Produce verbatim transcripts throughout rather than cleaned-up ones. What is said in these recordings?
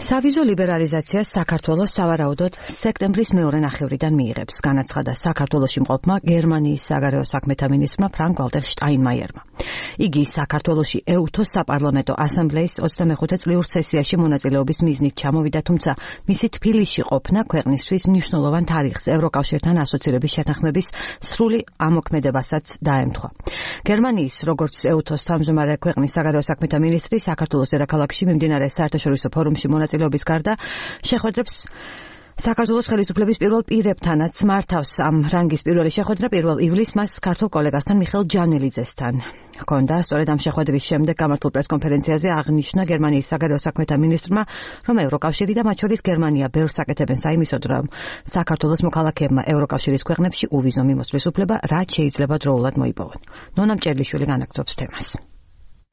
სავიზო ლიბერალიზაციას საქართველოს სავარაუდოდ სექტემბრის მეორე ნახევრიდან მიიღებს, განაცხადა საქართველოში მყოფმა გერმანიის საგარეო საქმეთა მინისტრმა ფრანკ ვალტერ შტაინმაიერმა. იგი საქართველოში ეუთოს საპარლამენტო ასამბლეის ოცდამეხუთე წლიურ სესიაში მონაწილეობის მიზნით ჩამოვიდა, თუმცა მისი თბილისში ყოფნა ქვეყნისთვის მნიშვნელოვან თარიღს ევროკავშირთან ასოცირების შეთანხმების სრული ამოქმედებასაც დაემთხვა. გერმანიის როგორც ეუთოს თავმჯდომარე ქვეყნის საგარეო საქმეთა მინისტრი საქართველოს დედაქალაქში მიმდინარე საერთაშორისო ფორუმში მონაწილეობის გარდა შეხვედრებს საქართველოს ხელისუფლების პირველ პირებთანაც მართავს. ამ რანგის პირველი შეხვედრა პირველ ივლისს მას ქართულ კოლეგასთან მიხეილ ჯანელიძესთან ჰქონდა. სწორედ ამ შეხვედრის შემდეგ გამართულ პრესკონფერენციაზე აღნიშნა გერმანიის საგარეო საქმეთა მინისტრმა, რომ ევროკავშირი და მათ შორის გერმანია ბევრს აკეთებენ საიმისოდ, რომ საქართველოს მოქალაქეებმა ევროკავშირის ქვეყნებში უვიზო მიმოსვლის უფლება რაც შეიძლება დროულად მოიპოვონ. ნონა მჭერლიშვილი განაგრძობს თემას.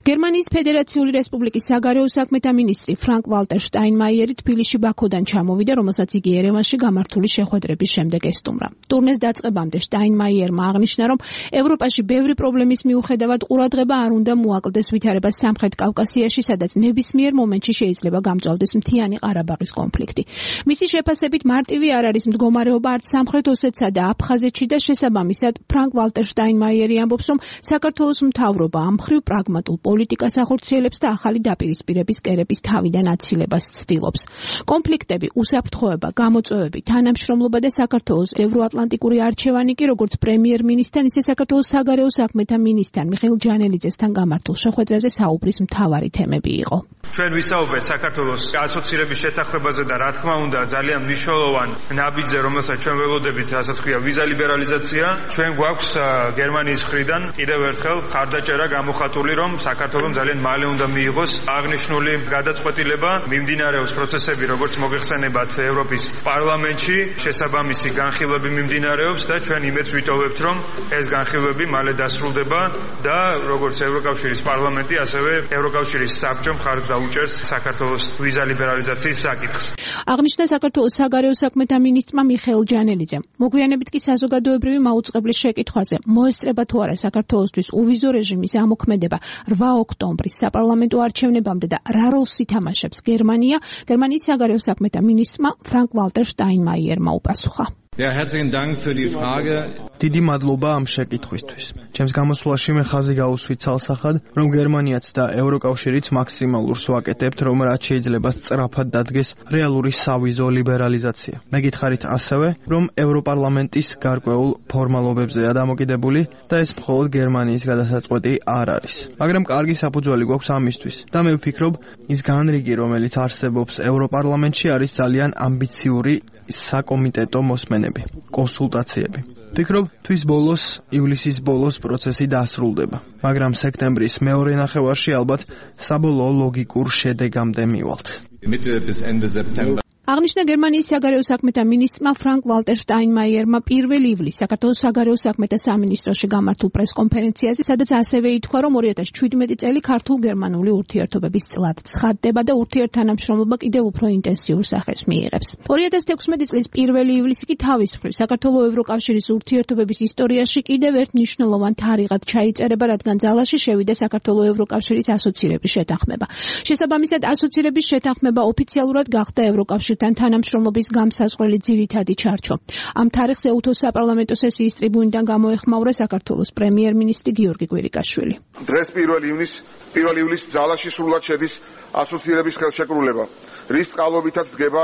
გერმანიის ფედერაციული რესპუბლიკის საგარეო საქმეთა მინისტრი ფრანკ ვალტერ შტაინმაიერი თბილისში ბაქოდან ჩამოვიდა, რომელსაც იგი ერევანში გამართული შეხვედრების შემდეგ ესტუმრა. ტურნეს დაწყებამდე შტაინმაიერმა აღნიშნა, რომ ევროპაში ბევრი პრობლემის მიუხედავად ყურადღება არ უნდა მოაკლდეს ვითარებას სამხრეთ კავკასიაში, სადაც ნებისმიერ მომენტში შეიძლება გამწვავდეს მთიანი ყარაბაღის კონფლიქტი. მისი შეფასებით მარტივი არ არის მდგომარეობა არც სამხრეთ ოსეთსა და აფხაზეთში და შესაბამისად ფრანკ ვალტერ შტაინმაიერი ამბობს, რომ საქართველოს მთავრობა ამ მხრივ პრაგმატულ პოლიტიკას ახორციელებს და ახალი დაპირისპირების კერების თავიდან აცილებას ცდილობს. კონფლიქტები, უსაფრთხოება, გამოწვევები, თანამშრომლობა და საქართველოს ევროატლანტიკური არჩევანი კი როგორც პრემიერ-მინისტრთან, ისე საქართველოს საგარეო საქმეთა მინისტრთან მიხეილ ჯანელიძესთან გამართულ შეხვედრაზე საუბრის მთავარი თემები იყო. ჩვენ ვისაუბრეთ საქართველოს ასოცირების შეთანხმებაზე და რა თქმა უნდა ძალიან მნიშვნელოვან ნაბიჯზე, რომელსაც ჩვენ ველოდებით, რასაც ქვია ვიზა ლიბერალიზაცია. ჩვენ გვაქვს გერმანიის მხრიდან კიდევ ერთხელ ხარდაჭერა გამოხატული, რომ საქართველოს ძალიან მალე უნდა მიიღოს აღნიშნული გადაწყვეტილება. მიმდინარეობს პროცესები, როგორც მოგეხსენებათ, ევროპის პარლამენტში, შესაბამისი განხილვები მიმდინარეობს და ჩვენ იმედს ვიტოვებთ, რომ ეს განხილვები მალე დასრულდება და როგორც ევროკავშირის პარლამენტი, ასევე ევროკავშირის საბჭომ ხარჯს დაუჭერს საქართველოს ვიზა ლიბერალიზაციის საკითხს. აღნიშნა საქართველოს საგარეო საქმეთა მინისტრმა მიხეილ ჯანელიძემ. მოგვიანებით კი საზოგადოებრივი მაუწყებლის შეკითხვაზე, მოესწრება თუ არა საქართველოსთვის უვიზო რეჟიმის ამოქმედება რვა ოქტომბრის საპარლამენტო არჩევნებამდე და რა როლს ითამაშებს გერმანია, გერმანიის საგარეო საქმეთა მინისტრმა ფრანკ ვალტერ შტაინმაიერმა უპასუხა. Ja, herzlichen Dank für die Frage. დიდი მადლობა ამ შეკითხვისთვის. ჩემს გამოსვლაში მე ხაზი გავუსვით ცალსახად, რომ გერმანიაც და ევროკავშირიც მაქსიმალურს ვაკეთებთ, რომ რაც შეიძლება სწრაფად დადგეს რეალური სავიზო ლიბერალიზაცია. მე გითხარით ასევე, რომ ევროპარლამენტის გარკვეულ ფორმალობებზეა დამოკიდებული და ეს მხოლოდ გერმანიის გადასაწყვეტი არ არის. მაგრამ კარგი საფუძველი გვაქვს ამისთვის და მე ვფიქრობ, ის განრიგი, რომელიც არსებობს ევროპარლამენტში, არის ძალიან ამბიციური საკომიტეტო მოსმენები, კონსულტაციები. ვფიქრობ, თვის ბოლოს, ივლისის ბოლოს პროცესი დასრულდება, მაგრამ სექტემბრის მეორე ნახევარში ალბათ საბოლოო ლოგიკურ შედეგამდე მივალთ. Mitte bis Ende September. აღნიშნა გერმანიის საგარეო საქმეთა მინისტრმა ფრანკ ვალტერ შტაინმაიერმა პირველ ივლისს საქართველოს საგარეო საქმეთა სამინისტროში გამართულ პრესკონფერენციაზე, სადაც ასევე ითქვა, რომ ორი ათას შვიდმეტი წელი ქართულ-გერმანული ურთიერთობების წლად ცხადდება და ურთიერთთანამშრომლობა კიდევ უფრო ინტენსიურ სახეს მიიღებს. ორი ათას თექვსმეტი წლის პირველ ივლისი კი თავის მხრივ საქართველოს ევროკავშირის ურთიერთობების ისტორიაში კიდევ ერთ მნიშვნელოვან თარიღად ჩაიწერება, რადგან ძალაში შევიდა საქართველოს ევროკავშირის ასოცირების შეთანხმება. შესაბამისად, ასოცირების შეთანხმება ოფიციალურად გახდა ევროკავშირის თან თანამშრომლობის გამსაზღვრელი ძირითადი ჩარჩო. ამ თარიღს ეუთოს საპარლამენტო სესიის ტრიბუნიდან გამოეხმაურა საქართველოს პრემიერ-მინისტრი გიორგი კვირიკაშვილი. დღეს პირველ ივნისს პირველ ივლისს ძალაში სრულად შედის ასოცირების ხელშეკრულება, რის წყალობითაც დგება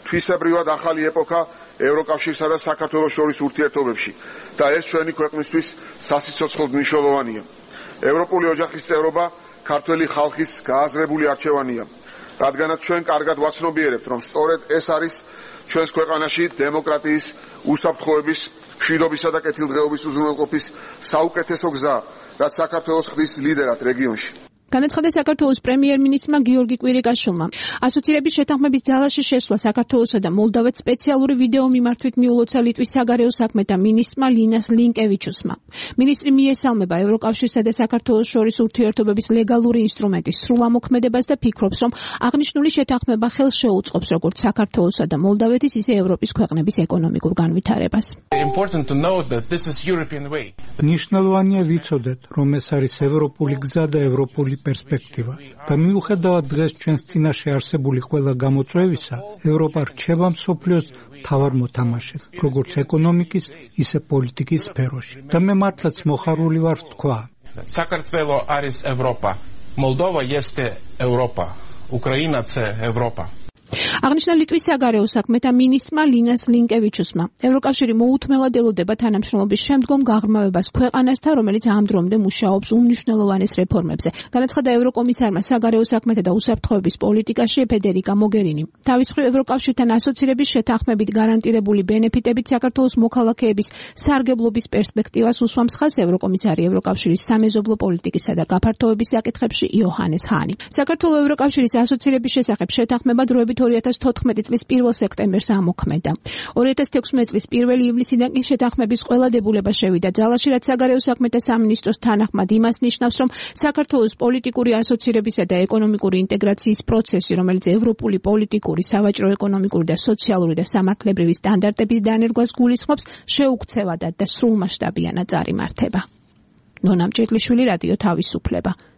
თვისებრივად ახალი ეპოქა ევროკავშირსა და საქართველოს შორის ურთიერთობებში და ეს ჩვენი ქვეყნისთვის სასიცოცხლოდ მნიშვნელოვანია. ევროპული ოჯახის წევრობა ქართველი ხალხის გააზრებული არჩევანია. რადგანაც ჩვენ კარგად ვაცნობიერებთ, რომ სწორედ ეს არის ჩვენს ქვეყანაში დემოკრატიის, უსაფრთხოების, მშვიდობისა და კეთილდღეობის უზრუნველყოფის საუკეთესო გზა, რაც საქართველოს ხდის ლიდერად რეგიონში. განაცხადა საქართველოს პრემიერ-მინისტრმა გიორგი კვირიკაშვილმა. ასოცირების შეთანხმების ძალაში შესვლა საქართველოსა და მოლდოვეთს სპეციალური ვიდეო მიმართვით მიულოცა ლიტვის საგარეო საქმეთა მინისტრმა ლინას ლინკევიჩუსმა. მინისტრი მიესალმება ევროკავშირსა და საქართველოს შორის ურთიერთობების ლეგალური ინსტრუმენტის სრულ ამოქმედებას და ფიქრობს, რომ აღნიშნული შეთანხმება ხელს შეუწყობს როგორც საქართველოსა და მოლდოვეთის, ისე ევროპის ქვეყნების ეკონომიკურ განვითარებას. მნიშვნელოვანია ვიცოდეთ, რომ ეს არის ევროპული გზა და ევროპული პერსპექტივა და მიუხედავად დღეს ჩვენს წინაშე არსებული ყველა გამოწვევისა, ევროპა რჩება მსოფლიოს მთავარ მოთამაშედ, როგორც ეკონომიკის, ისე პოლიტიკის სფეროში. და მე მართლაც მოხარული ვარ ვთქვა. საქართველო არის ევროპა, მოლდოვა este ევროპა, უკრაინა це ევროპა. აღნიშნა ლიტვის საგარეო საქმეთა მინისტრმა ლინას ლინკევიჩუსმა. ევროკავშირი მოუთმელად ელოდება თანამშრომლობის შემდგომ გაღრმავებას ქვეყანასთან, რომელიც ამ დრომდე მუშაობს უმნიშვნელოვანეს რეფორმებზე. განაცხადა ევროკომისარმა საგარეო საქმეთა და უსაფრთხოების პოლიტიკაში ფედერიკა მოგერინი. თავის მხრივ ევროკავშირთან ასოცირების შეთანხმებით გარანტირებული ბენეფიტებით საქართველოს მოქალაქეების სარგებლობის პერსპექტივას უსვამს ხაზს ევროკომისარი ევროკავშირის სამეზობლო პოლიტიკისა და გაფართოების საკითხებში იოჰანეს ჰანი. საქართველოს ევროკავშირის ასოცირების შესახებ შეთანხმება დროებით ორი ათას თოთხმეტი წლის პირველ სექტემბერს ამოქმედა. ორი ათას თექვსმეტი წლის პირველი ივლისიდან კი შეთანხმების ყველა დებულება შევიდა ძალაში, რაც საგარეო საქმეთა სამინისტროს თანახმად იმას ნიშნავს, რომ საქართველოს პოლიტიკური ასოცირებისა და ეკონომიკური ინტეგრაციის პროცესი, რომელიც ევროპული პოლიტიკური, სავაჭრო-ეკონომიკური და სოციალური და სამართლებრივი სტანდარტების დანერგვას გულისხმობს, შეუქცევადად და სრულმასშტაბიანად წარიმართება. ნონა მჭედლიშვილი, რადიო თავისუფლება.